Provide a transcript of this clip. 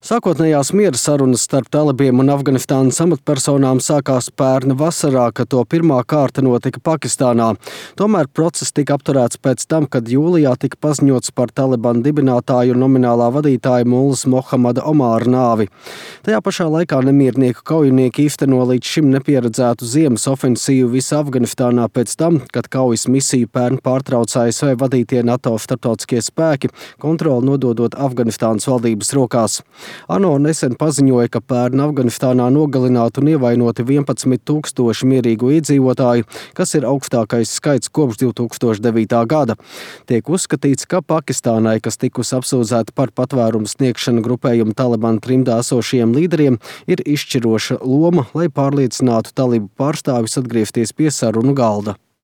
Sākotnējās miera sarunas starp talibiem un Afganistānas amatpersonām sākās pērna vasarā, kad to pirmā kārta notika Pakistānā. Tomēr process tika apturēts pēc tam, kad jūlijā tika paziņots par Talibanu dibinātāju un nominālā vadītāja Mullas Mohamada Omāra nāvi. Tajā pašā laikā nemiernieku kaujinieki īsteno līdz šim nepieredzētu ziemas ofensīvu visā Afganistānā pēc tam, kad kaujas misiju pērn pārtrauca ASV vadītie NATO starptautiskie spēki, kontroli nododot Afganistānas valdības rokās. ANO nesen paziņoja, ka pērn Afganistānā nogalināti un ievainoti 11,000 mierīgu iedzīvotāju, kas ir augstākais skaits kopš 2009. gada. Tiek uzskatīts, ka Pakistānai, kas tikusi apsūdzēta par patvērumu sniegšanu grupējumu Talibanu trimdā esošajiem līderiem, ir izšķiroša loma, lai pārliecinātu talibu pārstāvjus atgriezties pie sarunu galda.